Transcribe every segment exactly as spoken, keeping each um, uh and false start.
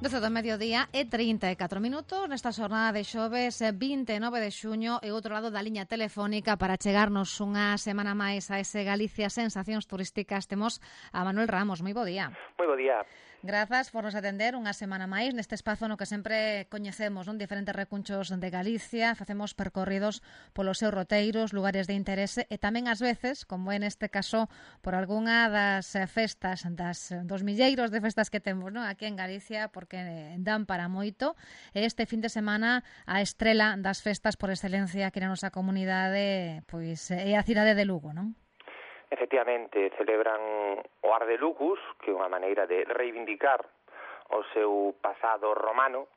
doce do mediodía e trinta e catro minutos nesta xornada de xoves vinte e nove de xuño e outro lado da liña telefónica para chegarnos unha semana máis a ese Galicia Sensacións Turísticas temos a Manuel Ramos. Moi bo día. Moi bo día. Grazas por nos atender unha semana máis neste espazo no que sempre coñecemos non diferentes recunchos de Galicia, facemos percorridos polos seus roteiros, lugares de interese e tamén ás veces, como é neste caso, por algunha das festas, das dos milleiros de festas que temos non aquí en Galicia, porque dan para moito. E este fin de semana a estrela das festas por excelencia aquí na nosa comunidade pois é a cidade de Lugo, non? Efectivamente, celebran o Ar de Lugus, que é unha maneira de reivindicar o seu pasado romano,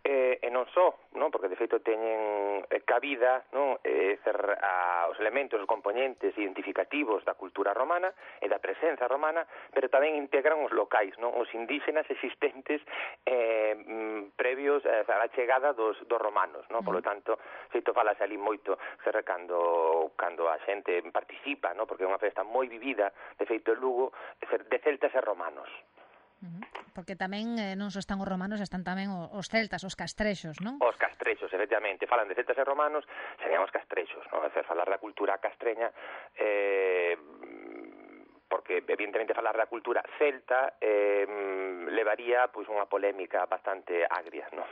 e, e non só, non? Porque de feito teñen cabida, non? E ser a, os elementos, os componentes identificativos da cultura romana e da presenza romana, pero tamén integran os locais, non? Os indígenas existentes eh, previos eh, á chegada dos, dos romanos, non? Por lo tanto, feito falase ali moito ser cando, cando a xente participa, non? Porque é unha festa moi vivida, de feito en Lugo, de celtas e romanos. Porque tamén eh, non só están os romanos, están tamén os celtas, os castrexos, non? Os castrexos, efectivamente. Falan de celtas e romanos, serían os castrexos, non? É dicir, falar da cultura castreña, eh, porque evidentemente falar da cultura celta eh, levaría pois unha polémica bastante agria, non?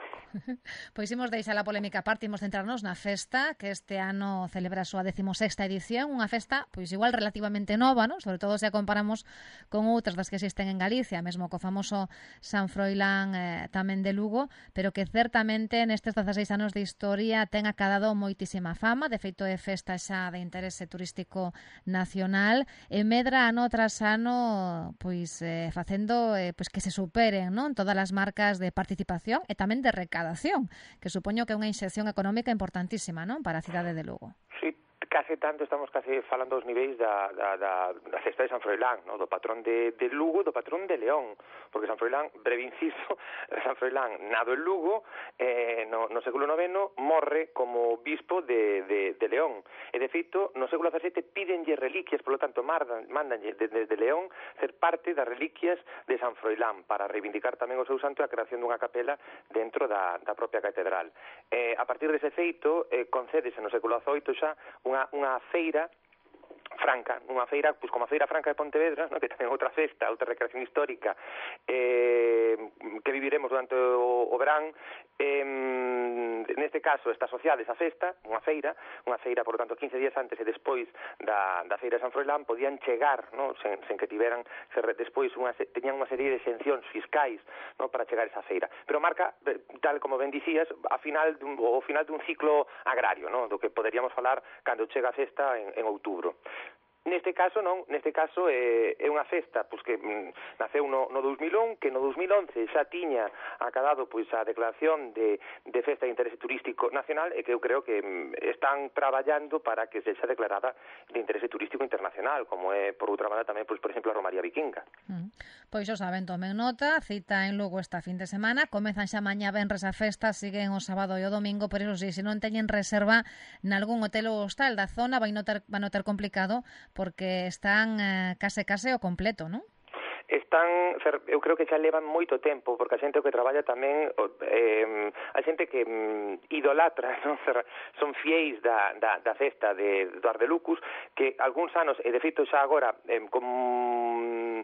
Pois imos deixar a polémica aparte, imos centrarnos na festa que este ano celebra a súa decimosexta edición, unha festa pois igual relativamente nova, non? Sobre todo se a comparamos con outras das que existen en Galicia, mesmo co famoso San Froilán eh, tamén de Lugo, pero que certamente nestes dezaseis anos de historia ten acadado moitísima fama, de feito é festa xa de interese turístico nacional e medra ano tras ano pois eh, facendo eh, pois que se superen, non? Todas as marcas de participación e tamén de recadación, que supoño que é unha inxección económica importantísima, non? Para a cidade de Lugo. Sí, case tanto estamos case falando dos niveis da, da, da, da festa de San Froilán, no? Do patrón de, de Lugo, do patrón de León, porque San Froilán, breve inciso, San Froilán nado en Lugo, eh, no, no século noveno morre como bispo de, de, de León, e de feito no século dezasete pídenlle reliquias, por lo tanto mandan, mandanlle desde de, de León ser parte das reliquias de San Froilán para reivindicar tamén o seu santo e a creación dunha capela dentro da, da propia catedral. Eh, a partir dese feito eh, concédese no século dezoito xa unha unha feira franca, unha feira, pois como a Feira Franca de Pontevedra, no? Que tamén outra festa, outra recreación histórica eh, que viviremos durante o, o verán, eh, neste caso está asociada esa festa, unha feira, unha feira, por lo tanto, quince días antes e despois da, da Feira de San Froilán podían chegar, no? sen, sen que tiveran, ser, despois unha, teñan unha serie de exencións fiscais, no? Para chegar a esa feira. Pero marca, tal como ben dicías, a final dun, o final dun ciclo agrario, no? Do que poderíamos falar cando chega a festa en, en outubro. Neste caso non, neste caso é, é unha festa pois que mm, naceu no, no dos mil un, que no dos mil once xa tiña acadado pois a declaración de, de festa de interese turístico nacional e que eu creo que mm, están traballando para que sexa declarada de interese turístico internacional, como é por outra banda tamén, pois, por exemplo, a Romaría Vikinga. Mm. Pois o saben, tomen nota, cita en Lugo esta fin de semana, comezan xa mañá venres a festa, siguen o sábado e o domingo, por iso si, se non teñen reserva nalgún hotel ou hostal da zona, vai notar, vai notar complicado porque están eh, case case o completo, non? Están, eu creo que xa levan moito tempo, porque a xente o que traballa tamén, eh, a xente que mm, idolatra, non? Son fiéis da, da, da festa de, do Ar de Lucus, que algúns anos, e de feito xa agora, eh, con,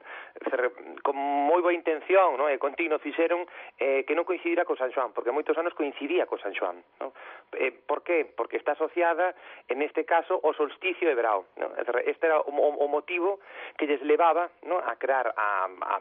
con moi boa intención, non? E continuo fixeron eh, que non coincidira co San Xoán, porque moitos anos coincidía co San Xoán, non? Eh, por qué? Porque está asociada, en este caso, ao solsticio de verao, non? Este era o, o motivo que lles levaba, non? A crear a A, a,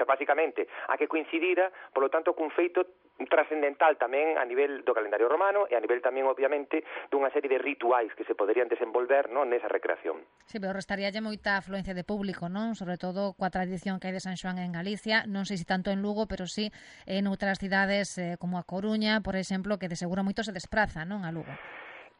básicamente a que coincidira, polo tanto, cun feito trascendental tamén a nivel do calendario romano e a nivel tamén, obviamente, dunha serie de rituais que se poderían desenvolver, non, nesa recreación. Sí, pero restaríalle moita afluencia de público, non? Sobre todo coa tradición que hai de San Xoán en Galicia, non sei se tanto en Lugo, pero sí en outras cidades eh, como a Coruña, por exemplo, que de seguro moito se despraza, non, a Lugo.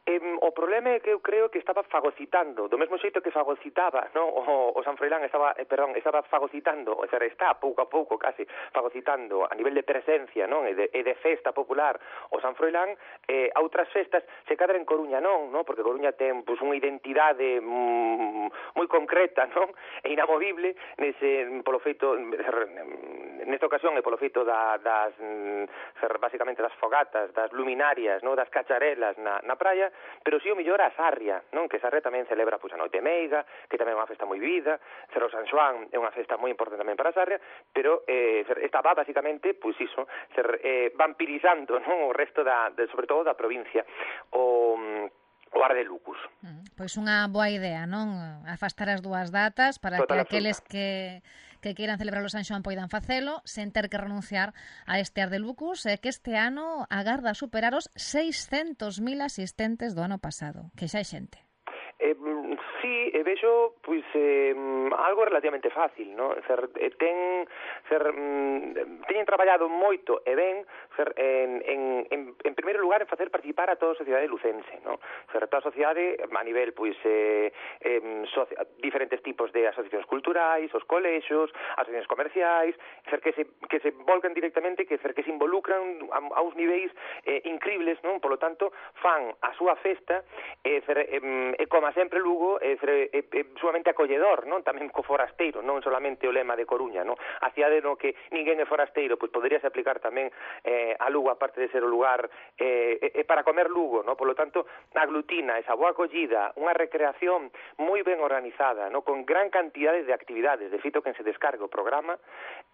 Eh, o problema é que eu creo que estaba fagocitando, do mesmo xeito que fagocitaba, no? o, o San Froilán estaba, eh, perdón, estaba fagocitando, o sea, está pouco a pouco casi fagocitando a nivel de presencia, non? E de, e de festa popular o San Froilán, eh, a outras festas se cadra en Coruña non, no? Porque Coruña ten pues, unha identidade mm, moi concreta, non? E inamovible nese, polo feito, nesta ocasión é polo feito da, das, basicamente das fogatas, das luminarias, non? Das cacharelas na, na praia, pero si o mellor a Sarria, non? Que Sarria tamén celebra pois, a Noite Meiga, que tamén é unha festa moi vivida, Cerro San Xoán é unha festa moi importante tamén para Sarria, pero eh, estaba basicamente, pois iso, ser, eh, vampirizando, non? O resto da, de, sobre todo da provincia, o o Ar de Lucus. Pois unha boa idea, non? Afastar as dúas datas para Total, que aqueles que, que queiran celebrar o San Xoán poidan facelo sen ter que renunciar a este Ar de Lucus, e que este ano agarda superar os seiscentos mil asistentes do ano pasado, que xa é xente. Eh, sí, e vexo pois eh, algo relativamente fácil, no? Cer, eh, ten cer, mm, teñen traballado moito e ben cer, en, en, en, en primeiro lugar en facer participar a toda a sociedade lucense, no? Cer, toda a sociedade a nivel pois eh, eh, soci, diferentes tipos de asociacións culturais, os colexios, asociacións comerciais, cer, que se que se volcan directamente, que cer, que se involucran a, a uns niveis eh, incribles, non? Por lo tanto, fan a súa festa e cer, eh, e como sempre Lugo é, é, é sumamente acolledor, non? Tamén co forasteiro, non solamente o lema de Coruña, non? A cidade no que ninguén é forasteiro, pois poderíase aplicar tamén eh, a Lugo, aparte de ser o lugar eh, é para comer Lugo, non? Por lo tanto, aglutina esa boa acollida, unha recreación moi ben organizada, non? Con gran cantidade de actividades, de feito que se descargue o programa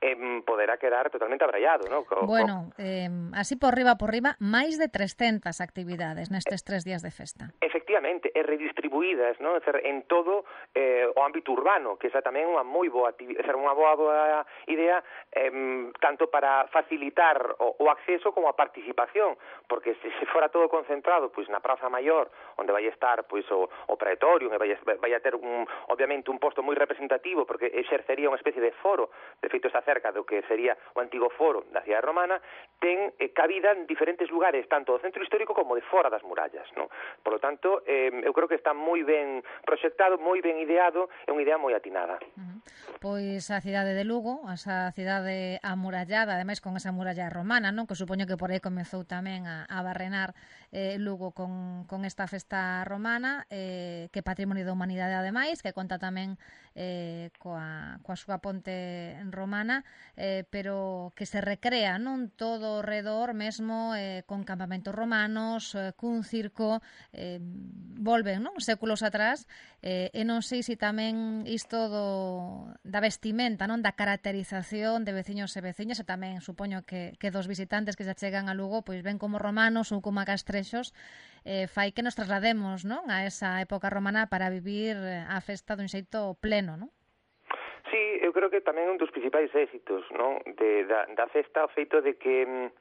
eh, poderá quedar totalmente abrallado, non? Co, bueno, eh, así por riba por riba, máis de trescentas actividades nestes tres días de festa. Efectivamente, e redistribuídas, non? En todo eh, o ámbito urbano, que esa tamén é unha moi boa, unha boa, boa idea eh, tanto para facilitar o, o acceso como a participación, porque se, se fora todo concentrado pois na Praza Maior, onde vai estar pois o, o Praetorium, e vai, vai a ter un, obviamente un posto moi representativo, porque exercería unha especie de foro, de feito está cerca do que sería o antigo foro da cidade romana, ten eh, cabida en diferentes lugares, tanto do centro histórico como de fora das murallas, non? Por lo tanto, eh, eu creo que está moi ben proxectado, moi ben ideado, é unha idea moi atinada. Uh-huh. Pois a cidade de Lugo, esa cidade amurallada, ademais con esa muralla romana, non? Que supoño que por aí comezou tamén a, a barrenar eh, Lugo con, con esta festa romana, eh, que patrimonio da humanidade ademais, que conta tamén eh, coa, coa súa ponte romana, eh, pero que se recrea, non? Todo o redor mesmo eh, con campamentos romanos, eh, cun circo, eh, volven, non? Séculos atrás, eh, e non sei se tamén isto do, da vestimenta, non? Da caracterización de veciños e veciñas, e tamén supoño que, que dos visitantes que se chegan a Lugo pois ven como romanos ou como a castrexos, eh, fai que nos traslademos, non? A esa época romana para vivir a festa dun xeito pleno, non? Sí, eu creo que tamén un dos principais éxitos, non? De, da, da festa, o feito de que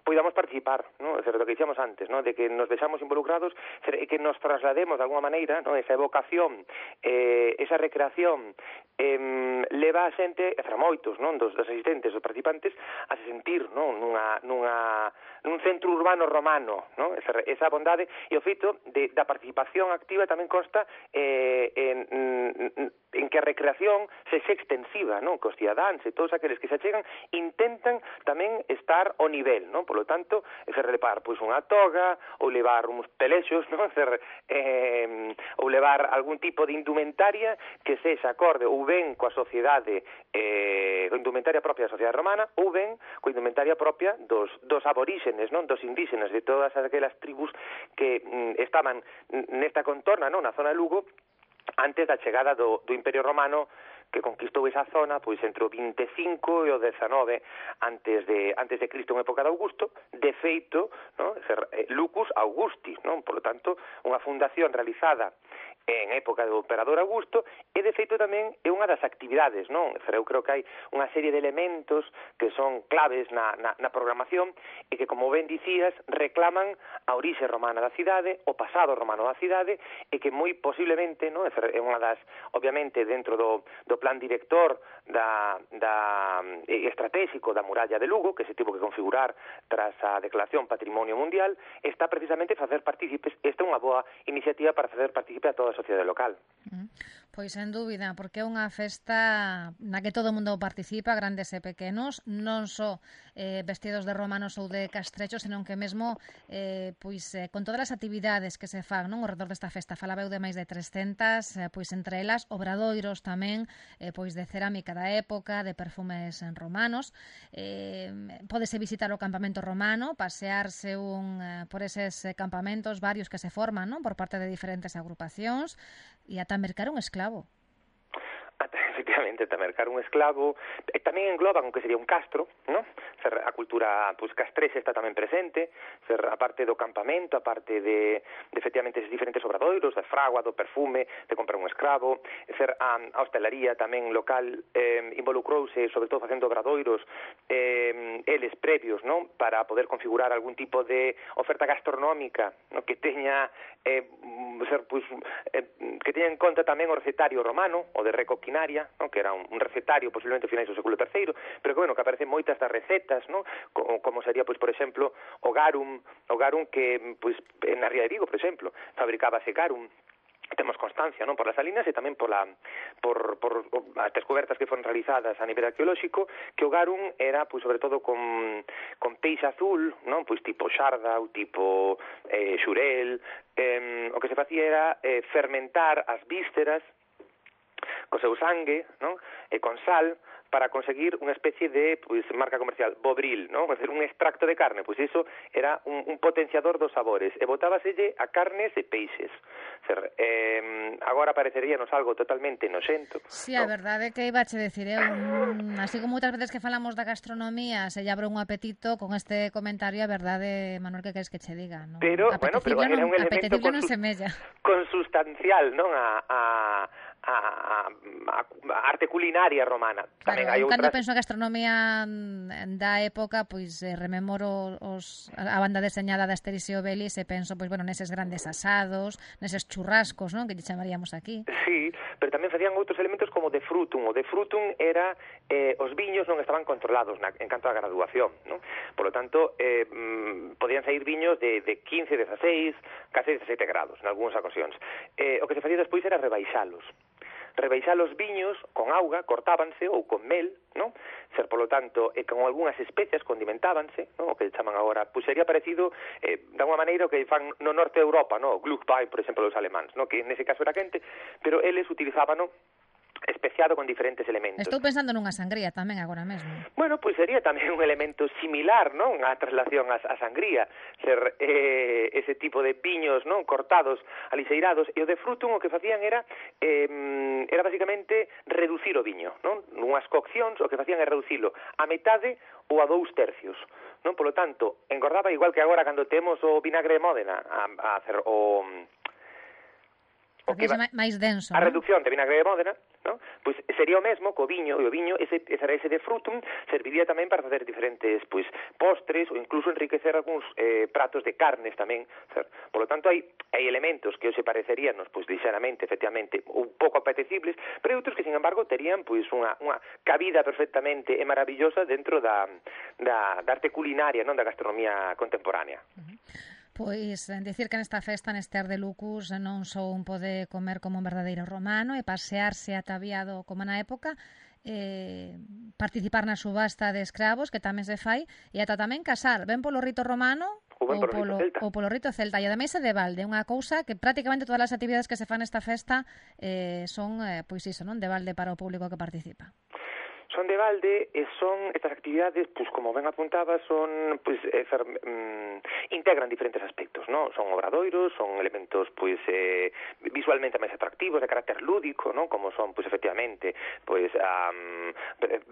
poidamos participar, ¿no? Es lo que dicíamos antes, ¿no? De que nos vexamos involucrados e que nos traslademos de alguna maneira, ¿no? Esa evocación, eh, esa recreación eh, leva a xente, e fra moitos, non? Dos, dos asistentes, dos participantes, a se sentir, non? Nunha, nunha, nun centro urbano romano, non? Esa, esa bondade, e o feito de, da participación activa tamén consta eh, en, en, en que a recreación se xe extensiva, non? Que os cidadáns e todos aqueles que se achegan intentan tamén estar ao nivel, non? Por lo tanto, ser levar pois unha toga ou levar uns pelexos, non? Ser, eh, ou levar algún tipo de indumentaria que sexa acorde ou ben coa sociedade, eh, coa indumentaria propia da sociedade romana, ou ben coa indumentaria propia dos, dos aboríxenes, non? Dos indígenas, de todas aquelas tribus que mm, estaban nesta contorna, non? Na zona de Lugo, antes da chegada do, do Imperio Romano, que conquistou esa zona pois entre o vinte e cinco e o dezanove antes de antes de Cristo, en época de Augusto. De feito, ¿no? Lucus Augustis, non? Por lo tanto, unha fundación realizada en época do emperador Augusto, e de feito tamén é unha das actividades, non? Eu creo que hai unha serie de elementos que son claves na, na, na programación e que, como ben dicías, reclaman a orixe romana da cidade, o pasado romano da cidade, e que moi posiblemente, non? É unha das, obviamente, dentro do, do plan director da, da eh, estratégico da muralla de Lugo, que se tivo que configurar tras a declaración Patrimonio Mundial, está precisamente facer partícipes. Esta é unha boa iniciativa para facer partícipe a toda a sociedade local. Mm. Pois, sen dúbida, porque é unha festa na que todo o mundo participa, grandes e pequenos, non só eh, vestidos de romanos ou de castrechos, senón que mesmo eh, pois, eh, con todas as actividades que se fan, non, ao redor desta festa. Falabeu de máis de trescentas, eh, pois entre elas obradoiros tamén, eh, pois de cerámica da época, de perfumes romanos. Eh, pódese visitar o campamento romano, pasearse un, eh, por eses campamentos varios que se forman, non, por parte de diferentes agrupacións, e ata mercar un esclavo. Efectivamente, ata mercar un esclavo, e tamén engloban o que sería un castro, ¿no? Ser, a cultura pues, castrexa está tamén presente, ser, a parte do campamento, a parte de, de efectivamente esos diferentes obradoiros, da fragua, do perfume, de comprar un escravo, ser, a, a hostelaría tamén local eh, involucrouse, sobre todo facendo obradoiros, eh, eles previos, ¿no? Para poder configurar algún tipo de oferta gastronómica, ¿no? Que teña eh, ser, pues, eh, que teña en conta tamén o recetario romano, o de recoquinaria, ¿no? Que era un, un recetario posiblemente finais do século terceiro, pero que, bueno, que aparecen moitas das recetas, ¿no? Como, como sería, pois, por exemplo, o garum, o garum que, pois, na Ría de Vigo, por exemplo, fabricábase garum. Temos constancia, non, por las salinas e tamén por, la, por, por as descobertas que foron realizadas a nivel arqueolóxico, que o garum era, pois, sobre todo con, con peixe azul, non, pois tipo xarda ou tipo eh, xurel, eh, o que se facía era eh, fermentar as vísceras co seu sangue, non, e con sal, para conseguir unha especie de, pois, marca comercial, bobril, non? É dicir, un extracto de carne, pois iso era un, un potenciador dos sabores, e botábaselle a carnes e peixes. Ser, eh, agora pareceríanos algo totalmente noxento. Sí, a ¿no? verdade é que iba a che decir, eh, un, así como outras veces que falamos da gastronomía, se lle abre un apetito con este comentario, a verdade, Manuel, que queres que che diga, non? Pero, bueno, pero era un non, elemento non semella. consustancial, non, a, a, a, a, a arte culinaria romana. Tamén claro, hai outras... Cando penso a gastronomía da época, pois eh, rememoro os, a banda deseñada da Asterix e Obelix e penso, pois, bueno, neses grandes asados, neses churrascos, non, que lle chamaríamos aquí. Sí, pero tamén facían outros elementos como de frutum. O de frutum era eh, os viños non estaban controlados na, en canto a graduación, non? Por lo tanto, eh, mm, podían sair viños de, de quince, dieciséis, case dezasete grados, en algúns ocasións. Eh, o que se facía despois era rebaixalos. Rebaixar os viños con auga, cortábanse, ou con mel, non? Ser, polo tanto, e con algunhas especias condimentábanse, non? O que chaman agora, pois sería parecido, eh, de alguma maneira, o que fan no norte de Europa, non? O Glühwein, por exemplo, os alemáns, non? Que nese caso era quente, pero eles utilizaban, non? Especiado con diferentes elementos. Estou pensando nunha sangría tamén agora mesmo. Bueno, pois sería tamén un elemento similar, non, a traslación a, a sangría, ser eh, ese tipo de viños, non, cortados, alixeirados, e o de frutum o que facían era eh, era basicamente reducir o viño, non? Nunhas coccións o que facían é reducilo a metade ou a dous tercios, non? Polo tanto, engordaba igual que agora cando temos o vinagre de Módena a, a hacer o o que va, máis denso, a ¿no? reducción de vinagre de Módena, ¿no? Pois sería o mesmo co viño, e o viño, ese, ese de frutum, serviría tamén para facer diferentes pois postres ou incluso enriquecer algúns eh, pratos de carnes tamén. Por lo tanto, hai, hai elementos que se pareceríanos, pois, lixeramente, efectivamente, un pouco apetecibles, pero hai outros que, sin embargo, terían pois unha, unha cabida perfectamente e maravillosa dentro da, da, da arte culinaria, non, da gastronomía contemporánea. Uh-huh. Pois, dicir que nesta festa, neste Ar de Lucus, non só un pode comer como un verdadeiro romano e pasearse ataviado como na época, eh, participar na subasta de escravos, que tamén se fai, e ata tamén casar, ben polo rito romano ou polo, ou polo rito celta, e ademais é de balde, unha cousa que prácticamente todas as actividades que se fan nesta festa eh, son, eh, pois iso, non, de balde para o público que participa. son de balde e son estas actividades, pues como ben apuntaba, son pues eh, fer, mm, integran diferentes aspectos, ¿no? Son obradoiros, son elementos pues eh, visualmente máis atractivos, de carácter lúdico, ¿no? Como son pues efectivamente pues um,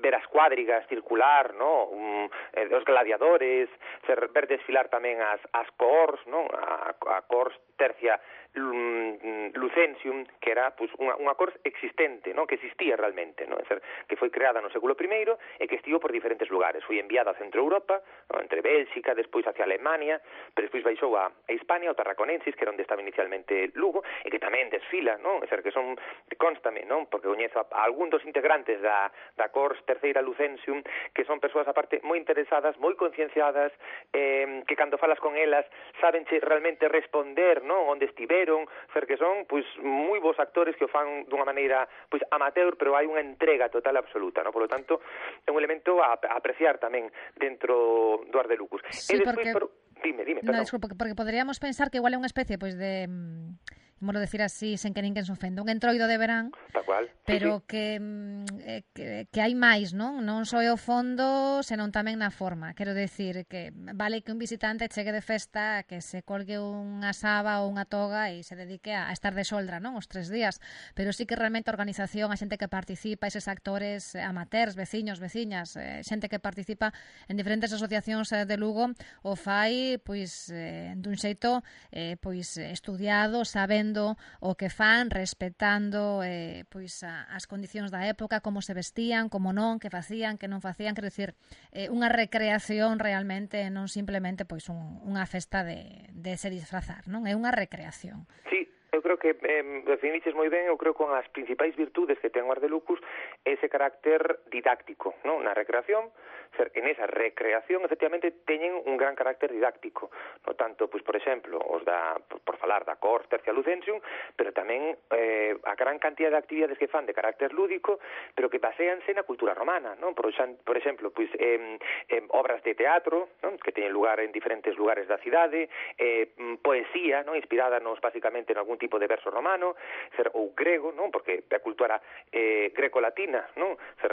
ver as cuadrigas circular, ¿no? Um, eh, os gladiadores, fer, ver desfilar tamén as as cors, ¿no? A, a cors tercia Lucensium, que era pues, unha, unha cors existente, ¿no? Que existía realmente, ¿no? É ser, que foi creada no século primeiro e que estivo por diferentes lugares. Foi enviada a Centro Europa, ¿no? Entre Bélxica, despois hacia Alemania, pero despois baixou a, a Hispania, o Tarraconensis, que era onde estaba inicialmente Lugo, e que tamén desfila, ¿no? É ser, que son, constame, ¿no? Porque coñezo a, a algún dos integrantes da, da cors terceira Lucensium, que son persoas, aparte, moi interesadas, moi concienciadas, eh, que cando falas con elas, sabenche realmente responder, ¿no? Onde estiveron, ser que son pois moi bons actores que o fan dunha maneira pois amateur, pero hai unha entrega total absoluta, ¿no? Por lo tanto, é un elemento a, a apreciar tamén dentro do Ars de Lucus. Sí, e despois, porque... pero... dime, dime, perdón. No, disculpa, porque poderíamos pensar que igual é unha especie pois de vamos decir así, sen que ninguén se ofenda, un entroido de verán, tal cual, pero sí, sí. Que, eh, que que hai máis, non? Non só é o fondo, senón tamén na forma. Quero decir que vale que un visitante chegue de festa, que se colgue unha saba ou unha toga e se dedique a, a estar de soldra, non? Os tres días, pero sí que realmente a organización, a xente que participa, eses actores amateurs, veciños, veciñas, eh, xente que participa en diferentes asociacións de Lugo, o fai pois eh, dun xeito eh, pois estudiado, sabendo o que fan, respetando eh, pois a, as condicións da época, como se vestían, como non, que facían, que non facían, quero dicir, eh, unha recreación realmente, non simplemente pois un, unha festa de, de se disfrazar, non? É unha recreación. Sí. Eu creo que, eh, definiches moi ben, eu creo que con as principais virtudes que ten o Ars de Lucus ese carácter didáctico, non? Na recreación, ser, en esa recreación, efectivamente, teñen un gran carácter didáctico, no tanto, pois, por exemplo, os da, por, por falar da cors tercia Lucensium, pero tamén eh, a gran cantidad de actividades que fan de carácter lúdico, pero que baseanse na cultura romana, non? Por, por exemplo, pois, eh, eh, obras de teatro, non? Que teñen lugar en diferentes lugares da cidade, eh, poesía, non? Inspirada nos, basicamente, en algún tipo de verso romano, ser, ou grego, non? Porque a cultura eh, greco-latina, non? Ser,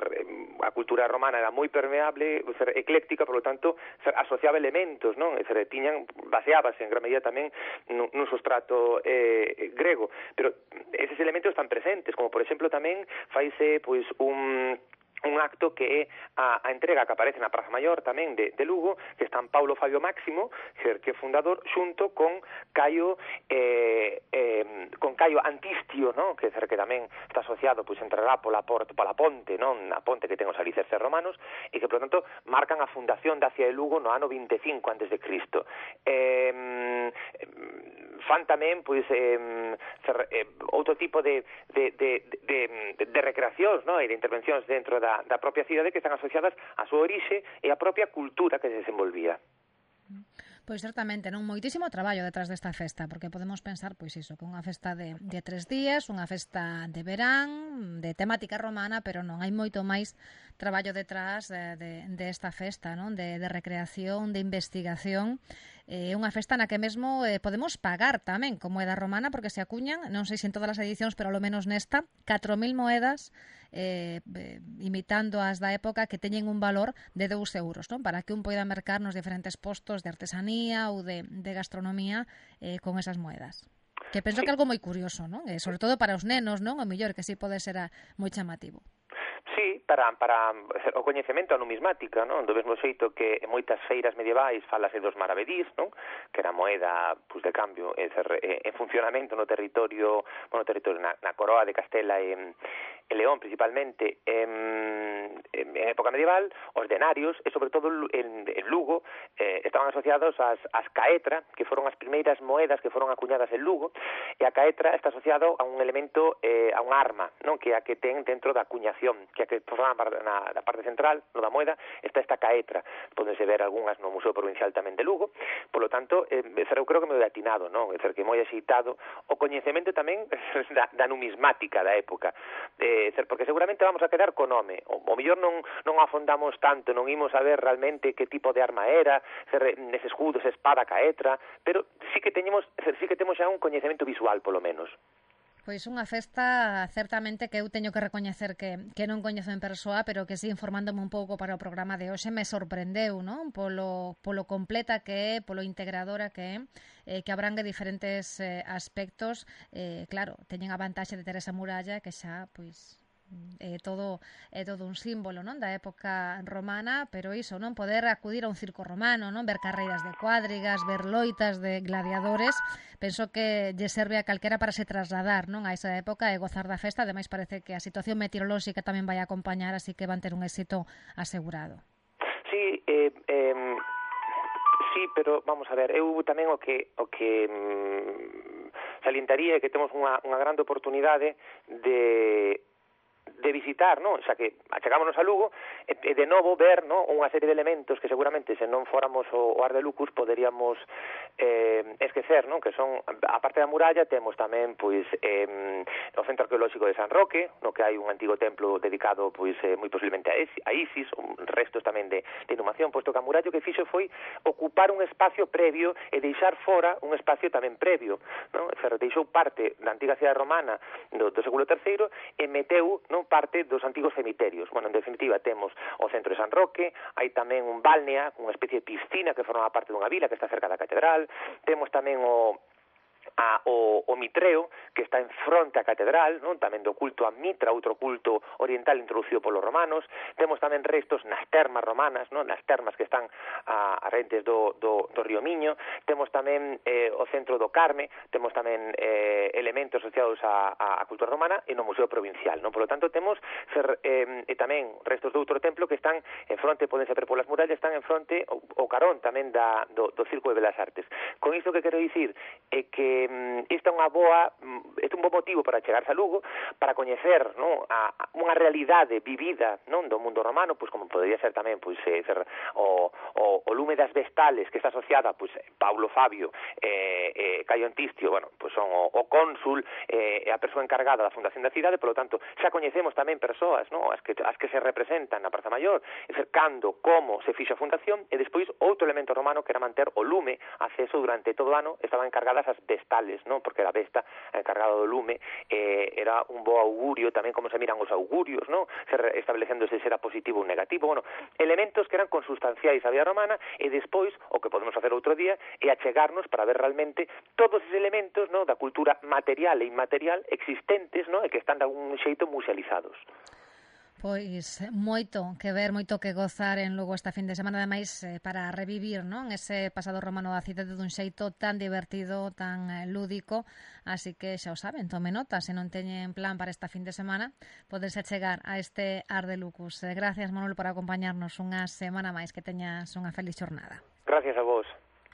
a cultura romana era moi permeable, ser, ecléctica, por lo tanto, ser, asociaba elementos, non? Ser, tiñan, baseábase en gran medida tamén nun, nun sustrato eh, grego, pero eses elementos están presentes, como por exemplo tamén faise pois un un acto que é a, a entrega que aparece na Praza Maior tamén de, de Lugo, que están Paulo Fabio Máximo, que é fundador, xunto con Caio eh, eh, con Caio Antistio, ¿no? que, que tamén está asociado, pois entrará pola, porta, pola ponte, non? A ponte que ten os alicerces romanos, e que, por tanto, marcan a fundación da cidade de Lugo no ano vinte e cinco antes de Cristo. Eh, fan tamén, pois, eh, eh, outro tipo de, de, de, de, de, de recreacións, ¿no? E de intervencións dentro da Da, da propia cidade que están asociadas á súa orixe e á propia cultura que se desenvolvía. Pois certamente, non? Moitísimo traballo detrás desta festa, porque podemos pensar, pois iso, que unha festa de, de tres días, unha festa de verán, de temática romana, pero non, hai moito máis traballo detrás de, de, de esta festa, non? De, de recreación, de investigación, é eh, unha festa na que mesmo eh, podemos pagar tamén con moeda romana, porque se acuñan, non sei se en todas as edicións, pero ao menos nesta, catro mil moedas Eh, eh, imitando as da época que teñen un valor de dous euros, non? Para que un poida mercar nos diferentes postos de artesanía ou de, de gastronomía eh, con esas moedas. Que penso que é algo moi curioso, non? Eh, sobre todo para os nenos, non? O mellor que si pode ser a, moi chamativo. Sí, para, para o coñecemento a numismática, non? Do mesmo xeito que en moitas feiras medievais falase dos maravedís, non? Que era moeda pues, de cambio en, en funcionamento no territorio, bueno, territorio na, na coroa de Castela e, e León principalmente en, en época medieval, os denarios e sobre todo en, en Lugo eh, estaban asociados ás, ás caetra, que foron as primeiras moedas que foron acuñadas en Lugo, e a caetra está asociado a un elemento, eh, a un arma, non? Que é a que ten dentro da acuñación, que a que forma na, na parte central, no da moeda, está esta caetra. Pódense ver algunhas no Museo Provincial tamén de Lugo. Por lo tanto, eh, eu creo que me atinado, non? É dizer, que moi axeitado o coñecemento tamén da, da numismática da época. Eh, dizer, porque seguramente vamos a quedar con nome. O, o mellor non, non afondamos tanto, non imos a ver realmente que tipo de arma era, dizer, nese escudo, esa espada caetra, pero sí que teñemos, dizer, sí que temos xa un coñecemento visual, polo menos. Pois unha festa certamente que eu teño que recoñecer que, que non coñezo en persoa, pero que sí, informándome un pouco para o programa de hoxe, me sorprendeu, non? Polo, polo completa que é, polo integradora que é, eh, que abrangue diferentes eh, aspectos. Eh, claro, teñen a vantaxe de ter esa muralla que xa, pois, é todo é todo un símbolo, non, da época romana, pero iso, non, poder acudir a un circo romano, non, ver carreiras de cuadrigas, ver loitas de gladiadores, penso que lle serve a calquera para se trasladar, non, a esa época e gozar da festa. Ademais parece que a situación meteorolóxica tamén vai a acompañar, así que van ter un éxito asegurado. Sí, eh, eh, sí, pero vamos a ver, eu tamén o que o que mm, salientaría é que temos unha, unha grande oportunidade de de visitar, non? Xa que achegámonos a Lugo e, e de novo ver, non, unha serie de elementos que seguramente se non fóramos o, o Ar de Lucus poderíamos eh, esquecer, non? Que son, a parte da muralla, temos tamén, pois, eh, o Centro Arqueolóxico de San Roque, no que hai un antigo templo dedicado, pois, eh, moi posiblemente a, Esi, a Isis, un restos tamén de, de inhumación, posto que a muralla que fixo foi ocupar un espacio previo e deixar fora un espacio tamén previo, non? Fer, deixou parte da antiga cidade romana do, do século terceiro e meteu, non, parte dos antigos cemiterios. Bueno, en definitiva, temos o centro de San Roque, hai tamén un balnea, unha especie de piscina que forma parte dunha vila que está cerca da catedral, temos tamén o A, o, o Mitreo, que está en fronte á catedral, non? Tamén do culto a Mitra, outro culto oriental introducido polos romanos. Temos tamén restos nas termas romanas, non? Nas termas que están a, a rentes do, do, do río Miño. Temos tamén eh, o centro do Carme, temos tamén eh, elementos asociados á, á cultura romana e no Museo Provincial, non? Por lo tanto, temos fer, eh, e tamén restos do outro templo que están en fronte, podense ver polas murallas, están en fronte o, o carón tamén da, do, do Circo de Belas Artes. Con isto que quero dicir é que esta é unha boa, este é un bo motivo para chegarse a Lugo, para coñecer, non, a, a unha realidade vivida, non, do mundo romano, pois como podería ser tamén, pois eh, ser o, o, o lume das vestales que está asociada, pois Paulo Fabio e eh, eh, Caio Antistio, bueno, pois son o, o cónsul e eh, a persoa encargada da fundación da cidade, polo tanto, xa coñecemos tamén persoas, non, as que as que se representan na Praza Maior, é ser cando, como se fixo a fundación, e despois outro elemento romano que era manter o lume acceso durante todo o ano, estaban encargadas as vestales, non? Porque era Vesta encargado do lume, eh, era un bo augurio, tamén como se miran os augurios, non? Establecéndose se era positivo ou negativo, bueno, elementos que eran consustanciais á vida romana, e despois, o que podemos facer outro día, é achegarnos para ver realmente todos os elementos, non, da cultura material e inmaterial existentes, non, e que están de algún xeito musealizados. Pois moito que ver, moito que gozar en Lugo esta fin de semana, ademais eh, para revivir, non, ese pasado romano da cidade dun xeito tan divertido, tan eh, lúdico, así que xa o saben, tome nota, se non teñen plan para esta fin de semana, podense chegar a este Ar de Lucus. Eh, gracias, Manuel, por acompañarnos unha semana máis, que teñas unha feliz xornada. Gracias a vos.